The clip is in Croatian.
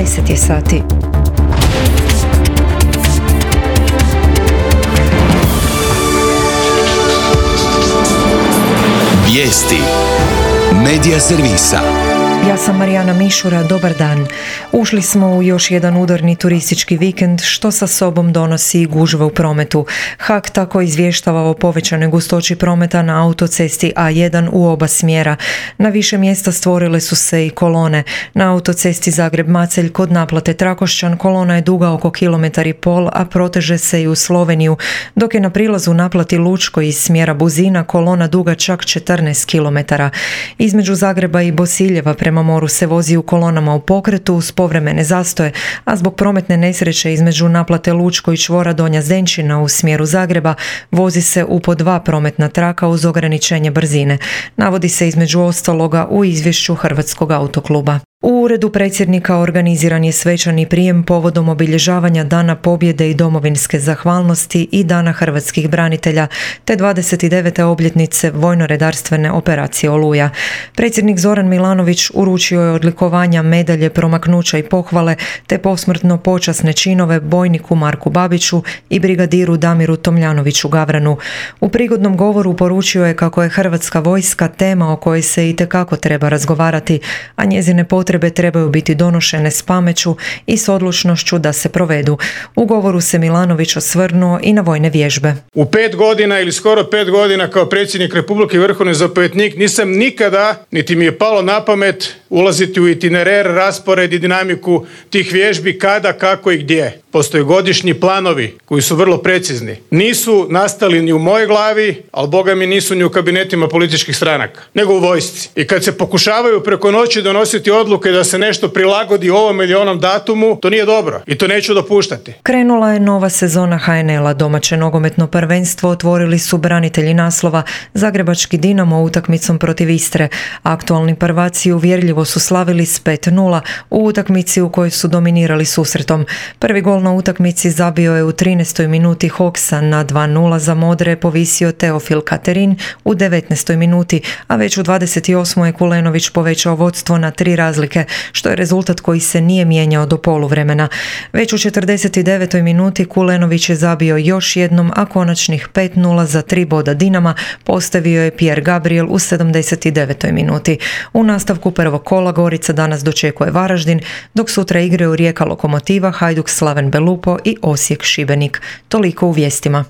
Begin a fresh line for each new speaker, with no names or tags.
10 je sati.
Vijesti Medija servisa.
Ja sam Marijana Mišura, dobar dan. Ušli smo u još jedan udarni turistički vikend, što sa sobom donosi gužve u prometu. HAK tako izvještava o povećanoj gustoći prometa na autocesti A1 u oba smjera. Na više mjesta stvorile su se i kolone. Na autocesti Zagreb-Macelj kod naplate Trakošćan kolona je duga oko 1,5 km, a proteže se i u Sloveniju, dok je na prilazu naplati Lučko iz smjera Buzina kolona duga čak 14 km. Između Zagreba i Bosiljeva prema moru se vozi u kolonama u pokretu uz povremene zastoje, a zbog prometne nesreće između naplate Lučko i čvora Donja Zdenčina u smjeru Zagreba vozi se u po 2 prometna traka uz ograničenje brzine. Navodi se između ostaloga u izvješću Hrvatskog autokluba. U uredu predsjednika organiziran je svečani prijem povodom obilježavanja Dana pobjede i domovinske zahvalnosti i Dana hrvatskih branitelja, te 29. obljetnice vojno-redarstvene operacije Oluja. Predsjednik Zoran Milanović uručio je odlikovanja, medalje, promaknuća i pohvale, te posmrtno počasne činove bojniku Marku Babiću i brigadiru Damiru Tomljanoviću Gavranu. U prigodnom govoru poručio je kako je Hrvatska vojska tema o kojoj se itekako treba razgovarati, a njezine potrebe trebaju biti donošene s pameću i s odlučnošću da se provedu. U govoru se Milanović osvrnuo i na vojne vježbe.
U 5 godina ili skoro 5 godina kao predsjednik Republike i vrhovni zapovjednik nisam nikada, niti mi je palo na pamet, ulaziti u itinerar, raspored i dinamiku tih vježbi, kada, kako i gdje. Postoje godišnji planovi koji su vrlo precizni. Nisu nastali ni u mojoj glavi, ali boga mi nisu ni u kabinetima političkih stranaka, nego u vojsci. I kad se pokušavaju preko noći donositi odluke da se nešto prilagodi ovom ili onom datumu, to nije dobro i to neću dopuštati.
Krenula je nova sezona HNL-a. Domaće nogometno prvenstvo otvorili su branitelji naslova Zagrebački Dinamo utakmicom protiv Istre. Aktualni prvaci uvjerljivo su slavili s 5:0 u utakmici u kojoj su dominirali susretom. Prvi gol na utakmici zabio je u 13. minuti Hoksa, na 2:0 za Modre povisio Teofil Katerin u 19. minuti, a već u 28. je Kulenović povećao vodstvo na 3 razlike, što je rezultat koji se nije mijenjao do poluvremena. Već u 49. minuti Kulenović je zabio još jednom, a konačnih 5:0 za 3 boda Dinama postavio je Pierre Gabriel u 79. minuti. U nastavku prvog kola Gorica danas dočekuje Varaždin, dok sutra igraju Rijeka Lokomotiva, Hajduk Slaven Belupo i Osijek Šibenik. Toliko u vijestima.